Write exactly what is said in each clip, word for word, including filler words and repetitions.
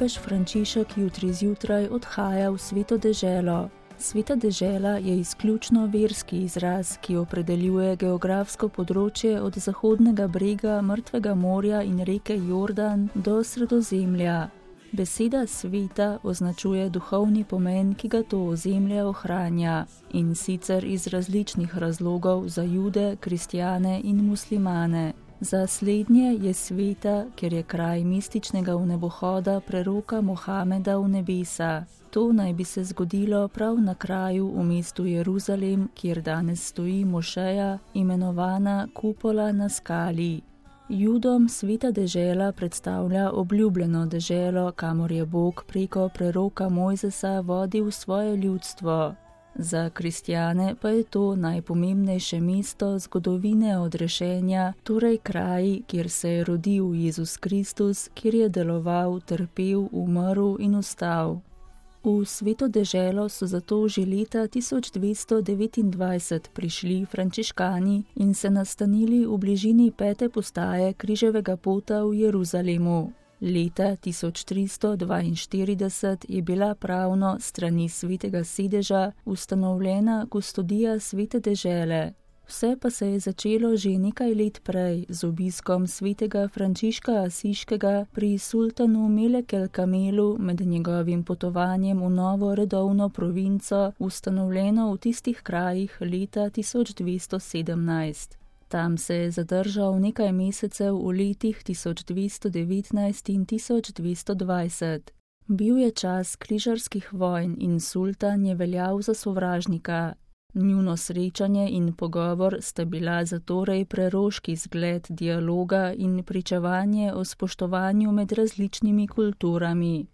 papež Frančišek jutri zjutraj odhaja v Sveto deželo. Sveta dežela je izključno verski izraz, ki opredeljuje geografsko področje od zahodnega brega Mrtvega morja in reke Jordan do Sredozemlja. Beseda sveta označuje duhovni pomen, ki ga to ozemlje ohranja, in sicer iz različnih razlogov za Jude, kristjane in muslimane. Za slednje je sveta, ker je kraj mističnega vnebohoda preroka Mohameda v nebesa. To naj bi se zgodilo prav na kraju v mestu Jeruzalem, kjer danes stoji mošeja, imenovana Kupola na skali. Judom sveta dežela predstavlja obljubljeno deželo, kamor je Bog preko preroka Mojzesa vodil svoje ljudstvo. Za kristjane pa je to najpomembnejše mesto zgodovine odrešenja, torej kraj, kjer se je rodil Jezus Kristus, kjer je deloval, trpel, umrl in vstal. V Sveto deželo so zato že leta tisoč dvesto devetindvajset prišli frančiškani in se nastanili v bližini pete postaje križevega pota v Jeruzalemu. Leta tisoč tristo dvainštirideset je bila pravno strani svetega sedeža ustanovljena kustodija Svete dežele. Vse pa se je začelo že nekaj let prej z obiskom svetega Frančiška Asiškega pri sultanu Melek el Kamelu med njegovim potovanjem v novo redovno provinco, ustanovljeno v tistih krajih leta tisoč dvesto sedemnajst. Tam se je zadržal nekaj mesecev v letih tisoč dvesto devetnajst in tisoč dvesto dvajset. Bil je čas križarskih vojn in sultan je veljal za sovražnika. Njuno srečanje in pogovor sta bila zatorej preroški zgled dialoga in pričevanje o spoštovanju med različnimi kulturami.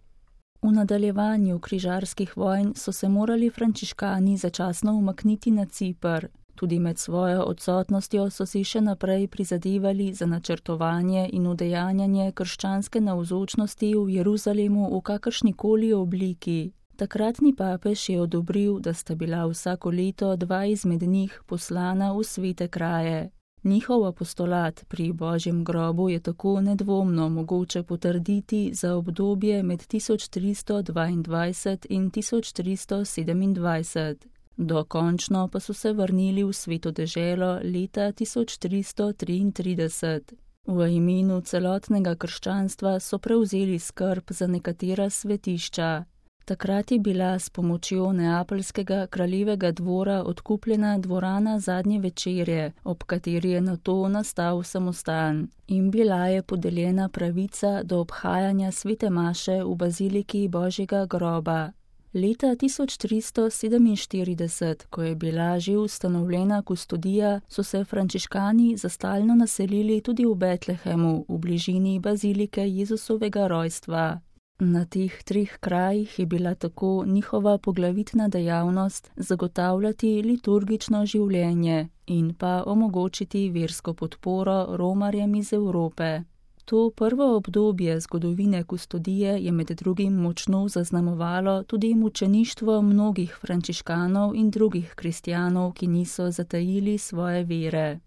V nadaljevanju križarskih vojn so se morali frančiškani začasno umakniti na Ciper. Tudi med svojo odsotnostjo so si še naprej prizadevali za načrtovanje in udejanjanje krščanske navzočnosti v Jeruzalemu v kakršnikoli obliki. Takratni papež je odobril, da sta bila vsako leto dva izmed njih poslana v svete kraje. Njihov apostolat pri Božjem grobu je tako nedvomno mogoče potrditi za obdobje med tisoč tristo dvaindvajset in tisoč tristo sedemindvajset. Dokončno pa so se vrnili v Sveto deželo leta tisoč tristo triintrideset. V imenu celotnega krščanstva so prevzeli skrb za nekatera svetišča. Takrat je bila s pomočjo neapeljskega kraljevega dvora odkupljena dvorana Zadnje večerje, ob kateri je nato nastal samostan, in bila je podeljena pravica do obhajanja svete maše v baziliki Božjega groba. Leta tisoč tristo sedeminštirideset, ko je bila že ustanovljena kustodija, so se frančiškani za stalno naselili tudi v Betlehemu, v bližini bazilike Jezusovega rojstva. Na teh treh krajih je bila tako njihova poglavitna dejavnost zagotavljati liturgično življenje in pa omogočiti versko podporo romarjem iz Evrope. To prvo obdobje zgodovine kustodije je med drugim močno zaznamovalo tudi mučeništvo mnogih frančiškanov in drugih kristjanov, ki niso zatajili svoje vere.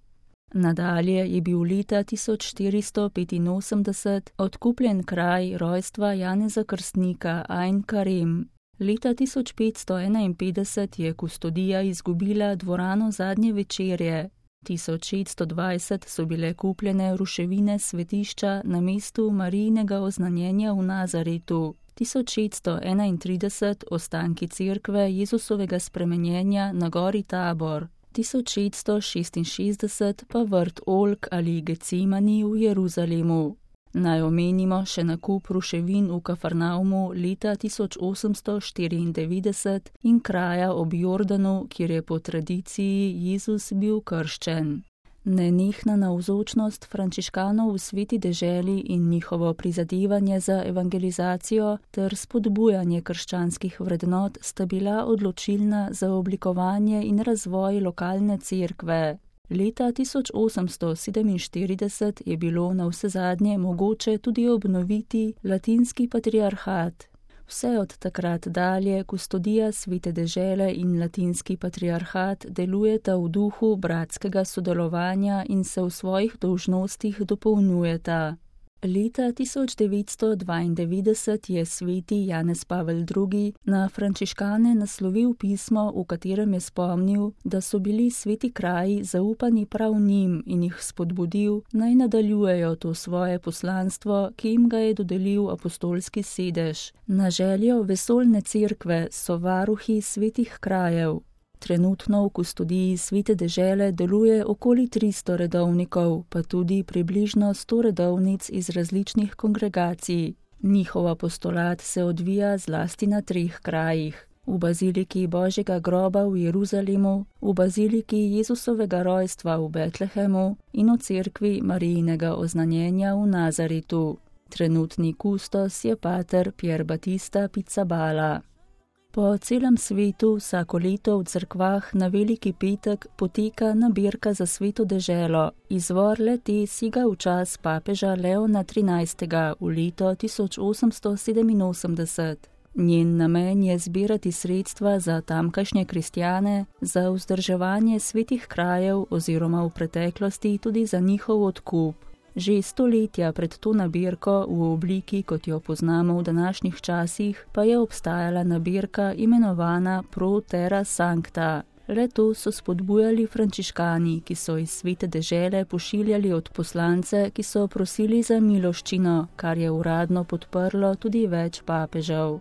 Nadalje je bil leta tisoč štiristo petinosemdeset odkupljen kraj rojstva Janeza Krstnika Ain Karem. Leta tisoč petsto enainpetdeset je kustodija izgubila dvorano Zadnje večerje. tisoč šeststo dvajset so bile kupljene ruševine svetišča na mestu Marijinega oznanjenja v Nazaretu. tisoč šeststo enaintrideset ostanki cerkve Jezusovega spremenjenja na gori Tabor. tisoč šeststo šestinšestdeset pa vrt Oljk ali Gecimani v Jeruzalemu. Naj omenimo še nakup ruševin v Kafarnaumu leta tisoč osemsto štiriindevetdeset in kraja ob Jordanu, kjer je po tradiciji Jezus bil krščen. Nenehna navzočnost frančiškanov v sveti deželi in njihovo prizadevanje za evangelizacijo ter spodbujanje krščanskih vrednot sta bila odločilna za oblikovanje in razvoj lokalne cerkve. Leta tisoč osemsto sedeminštirideset je bilo navsezadnje mogoče tudi obnoviti latinski patriarhat. Vse od takrat dalje kustodija svete dežele in latinski patriarhat delujeta v duhu bratskega sodelovanja in se v svojih dolžnostih dopolnjujeta. Leta tisoč devetsto dvaindevetdeset je sveti Janez Pavel drugi na frančiškane naslovil pismo, v katerem je spomnil, da so bili sveti kraji zaupani prav njim in jih spodbudil, naj nadaljujejo to svoje poslanstvo, ki jim ga je dodelil apostolski sedež. Na željo vesoljne cerkve so varuhi svetih krajev. Trenutno v kustodiji Svete dežele deluje okoli tristo redovnikov, pa tudi približno sto redovnic iz različnih kongregacij. Njihov apostolat se odvija zlasti na treh krajih. V baziliki Božjega groba v Jeruzalemu, v baziliki Jezusovega rojstva v Betlehemu in v cerkvi Marijinega oznanjenja v Nazaretu. Trenutni kustos je pater Pier Battista Pizzaballa. Po celem svetu vsako leto v cerkvah na Veliki petek poteka nabirka za Sveto deželo. Izvor le-te sega v čas papeža Leona trinajstega v leto tisoč osemsto sedeminosemdeset. Njen namen je zbirati sredstva za tamkajšnje kristjane, za vzdrževanje svetih krajev oziroma v preteklosti tudi za njihov odkup. Že stoletja pred to nabirko v obliki, kot jo poznamo v današnjih časih, pa je obstajala nabirka imenovana Pro Terra Sancta. Le-to so spodbujali frančiškani, ki so iz Svete dežele pošiljali odposlance, ki so prosili za miloščino, kar je uradno podprlo tudi več papežev.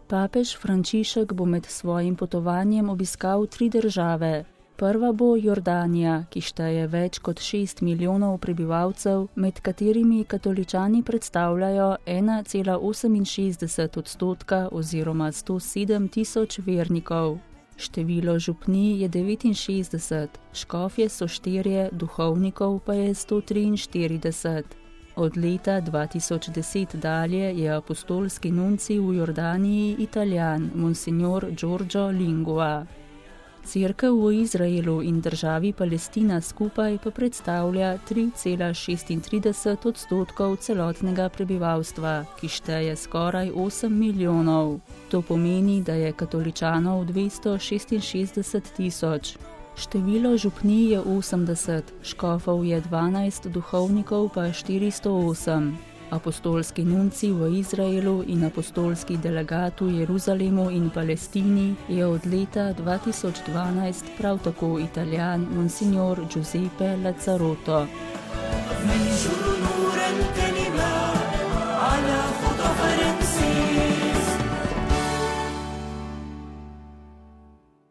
Papež Frančišek bo med svojim potovanjem obiskal tri države. Prva bo Jordanija, ki šteje več kot šest milijonov prebivalcev, med katerimi katoličani predstavljajo ena cela oseminšestdeset odstotka oziroma sto sedem tisoč vernikov. Število župnij je devetinšestdeset, škofje so štirje, duhovnikov pa je sto triinštirideset. Od leta dva tisoč deset dalje je apostolski nuncij v Jordaniji Italijan, monsignor Giorgio Lingua. Cerkev v Izraelu in državi Palestina skupaj pa predstavlja tri cela šestintrideset odstotkov celotnega prebivalstva, ki šteje skoraj osem milijonov. To pomeni, da je katoličanov dvesto šestinšestdeset tisoč. Število župnij je osemdeset, škofov je dvanajst, duhovnikov pa štiristo osem. Apostolski nuncij v Izraelu in apostolski delegat v Jeruzalemu in Palestini je od leta dva tisoč dvanajst prav tako Italijan, monsignor Giuseppe Lazzarotto.